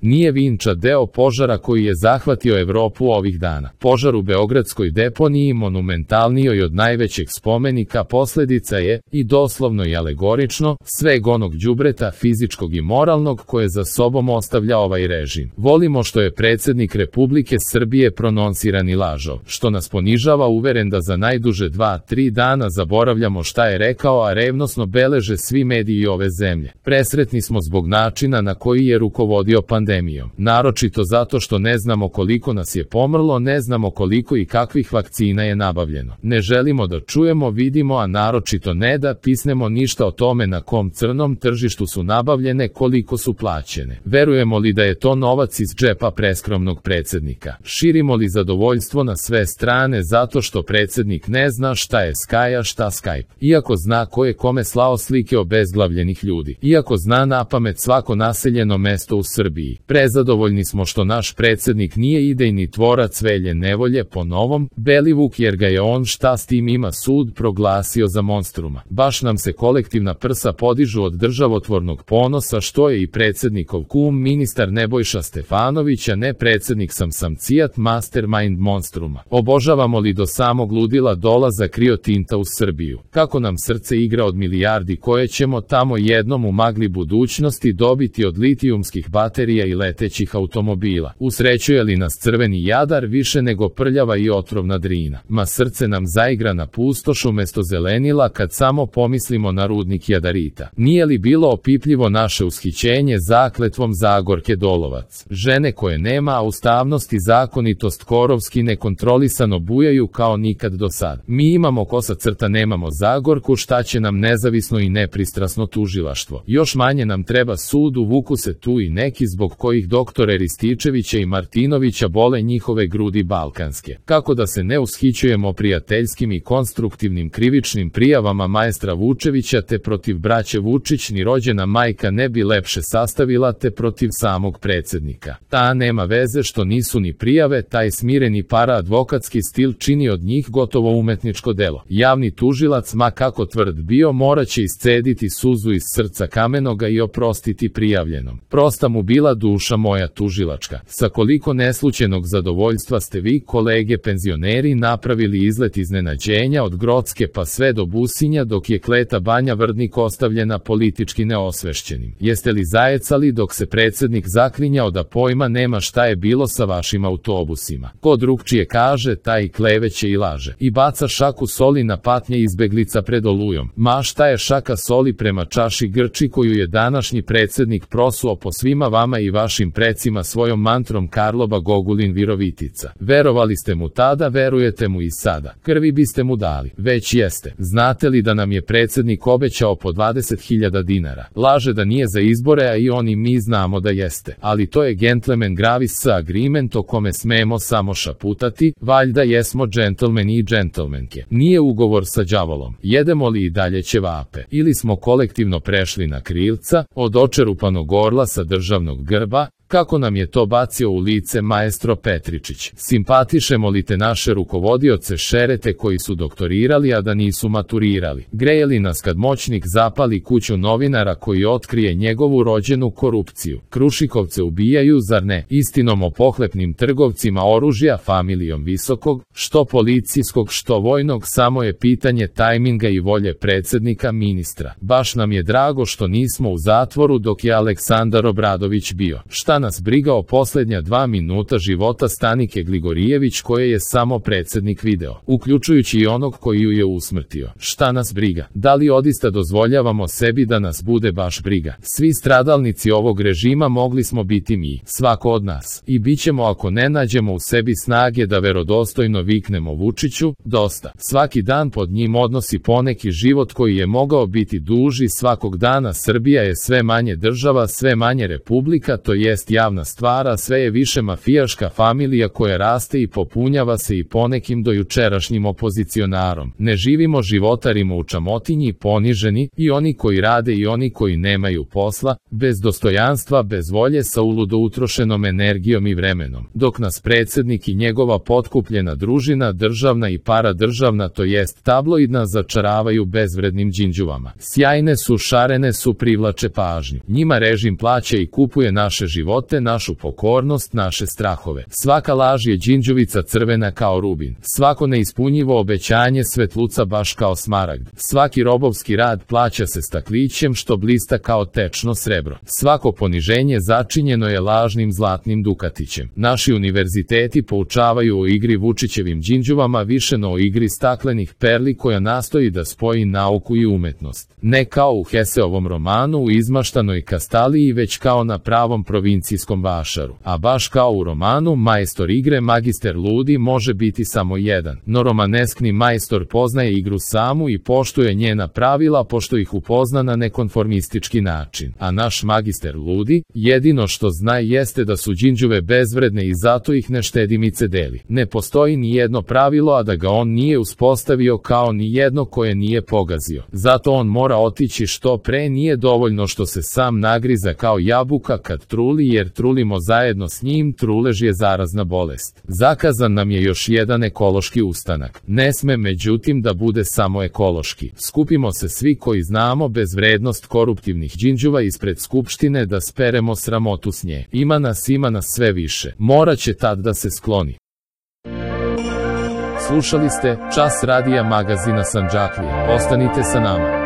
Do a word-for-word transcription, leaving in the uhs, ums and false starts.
Nije Vinča deo požara koji je zahvatio Evropu ovih dana. Požar u beogradskoj deponiji, monumentalnijoj od najvećeg spomenika, posljedica je, i doslovno i alegorično, sveg onog đubreta fizičkog i moralnog koje za sobom ostavlja ovaj režim. Volimo što je predsjednik Republike Srbije prononsirani lažov, što nas ponižava uveren da za najduže dva, tri dana zaboravljamo šta je rekao, a revnosno beleže svi mediji ove zemlje. Presretni smo zbog načina na koji je rukovodio pandemijom. Naročito zato što ne znamo koliko nas je pomrlo, ne znamo koliko i kakvih vakcina je nabavljeno. Ne želimo da čujemo, vidimo, a naročito ne da pisnemo ništa o tome na kom crnom tržištu su nabavljene, koliko su plaćene. Verujemo li da je to novac iz džepa preskromnog predsjednika? Širimo li zadovoljstvo na sve strane zato što predsjednik ne zna šta je Sky, a šta Skype? Iako zna ko je kome slao slike obezglavljenih ljudi. Iako zna napamet svako naseljeno mesto u Srbiji. Prezadovoljni smo što naš predsjednik nije idejni tvorac Velje Nevolje po novom, Belivuk, jer ga je on, šta s tim ima, sud proglasio za monstruma. Baš nam se kolektivna prsa podižu od državotvornog ponosa što je i predsjednikov kum ministar Nebojša Stefanović, a ne predsjednik sam sam cijat mastermind monstruma. Obožavamo li do samog ludila dolazak Rio Tinta u Srbiju? Kako nam srce igra od milijardi koje ćemo tamo jednom u magli budućnosti dobiti od litijumskih baterija i letećih automobila? Usrećuje li nas crveni Jadar više nego prljava i otrovna Drina? Ma srce nam zaigra na pustoš umesto zelenila kad samo pomislimo na rudnik jadarita. Nije li bilo opipljivo naše ushićenje zakletvom Zagorke Dolovac? Žene koje nema, a ustavnost i zakonitost korovski nekontrolisano bujaju kao nikad do sad. Mi imamo kosa crta, nemamo Zagorku, šta će nam nezavisno i nepristrasno tužilaštvo? Još manje nam treba sud, uvuku se tu i neki zbog kojih doktore Rističevića i Martinovića bole njihove grudi balkanske. Kako da se ne ushićujemo prijateljskim i konstruktivnim krivičnim prijavama maestra Vučevića te protiv braće Vučić, ni rođena majka ne bi lepše sastavila, te protiv samog predsjednika. Ta nema veze što nisu ni prijave, taj smireni paraadvokatski stil čini od njih gotovo umetničko delo. Javni tužilac, ma kako tvrd bio, moraće iscediti suzu iz srca kamenoga i oprostiti prijavljenom. Prosta mu bila duša moja tužilačka. Sa koliko neslućenog zadovoljstva ste vi, kolege penzioneri, napravili izlet iznenađenja od Grocke pa sve do Businja, dok je Kleta Banja Vrdnik ostavljena politički neosvešćenim. Jeste li zajecali dok se predsjednik zaklinjao da pojma nema šta je bilo sa vašim autobusima? Ko drugčije kaže, taj kleveće i laže. I baca šaku soli na patnje izbeglica pred Olujom. Ma šta je šaka soli prema čaši grči koju je današnji predsjednik prosuo po svima vama i vašim precima svojom mantrom Karloba Gogulin Virovitica? Verovali ste mu tada, verujete mu i sada. Krvi biste mu dali. Već jeste. Znate li da nam je predsjednik obećao po dvadeset hiljada dinara? Laže da nije za izbore, a i oni mi znamo da jeste. Ali to je gentleman gravis agreement o kome smemo samo šaputati, valjda jesmo džentlmeni i džentlmenke. Nije ugovor sa đavolom. Jedemo li i dalje ćevape? Ili smo kolektivno prešli na krilca, od očerupanog orla sa državnog grba, kako nam je to bacio u lice maestro Petričić? Simpatišemo li te naše rukovodioce šerete koji su doktorirali, a da nisu maturirali? Greje li nas kad moćnik zapali kuću novinara koji otkrije njegovu rođenu korupciju? Krušikovce ubijaju, zar ne? Istinom o pohlepnim trgovcima oružja, familijom visokog, što policijskog, što vojnog, samo je pitanje tajminga i volje predsjednika ministra. Baš nam je drago što nismo u zatvoru dok je Aleksandar Obradović bio. Šta nas briga o posljednja dva minuta života Stanike Gligorijević koje je samo predsjednik video, uključujući i onog koji ju je usmrtio? Šta nas briga? Da li odista dozvoljavamo sebi da nas bude baš briga? Svi stradalnici ovog režima mogli smo biti mi, svako od nas. I bit ćemo ako ne nađemo u sebi snage da verodostojno viknemo Vučiću, dosta. Svaki dan pod njim odnosi poneki život koji je mogao biti duži. Svakog dana Srbija je sve manje država, sve manje republika, to jest javna stvara, sve je više mafijaška familija koja raste i popunjava se i ponekim dojučerašnjim opozicionarom. Ne živimo, životarimo u čamotinji, poniženi, i oni koji rade i oni koji nemaju posla, bez dostojanstva, bez volje, sa uludo utrošenom energijom i vremenom. Dok nas predsjednik i njegova potkupljena družina, državna i paradržavna, to jest tabloidna, začaravaju bezvrednim đinđuvama. Sjajne su, šarene su, privlače pažnju. Njima režim plaća i kupuje naše živote živote, našu pokornost, naše strahove. Svaka laž je đinđuvica crvena kao rubin. Svako neispunjivo obećanje svetluca baš kao smaragd. Svaki robovski rad plaća se staklićem što blista kao tečno srebro. Svako poniženje začinjeno je lažnim zlatnim dukatićem. Naši univerziteti poučavaju o igri Vučićevim đinđuvama više no o igri staklenih perli koja nastoji da spoji nauku i umetnost. Ne kao u Heseovom romanu u izmaštanoj Kastaliji, već kao na pravom provincijskom vašaru. A baš kao u romanu, majstor igre, magister ludi, može biti samo jedan. No romaneskni majstor poznaje igru samu i poštuje njena pravila pošto ih upozna na nekonformistički način. A naš magister ludi, jedino što zna jeste da su đinđuve bezvredne i zato ih ne štedimice deli. Ne postoji ni jedno pravilo, a da ga on nije uspostavio, kao ni jedno koje nije pogazio. Zato on mora otići što pre, nije dovoljno što se sam nagriza kao jabuka kad truli, jer trulimo zajedno s njim, trulež je zarazna bolest. Zakazan nam je još jedan ekološki ustanak. Ne sme međutim da bude samo ekološki. Skupimo se svi koji znamo bezvrednost koruptivnih đinđuva ispred Skupštine da speremo sramotu s nje. Ima nas, ima nas sve više. Moraće tad da se skloni. Slušali ste Čas radija magazina Sandžaklija. Ostanite sa nama.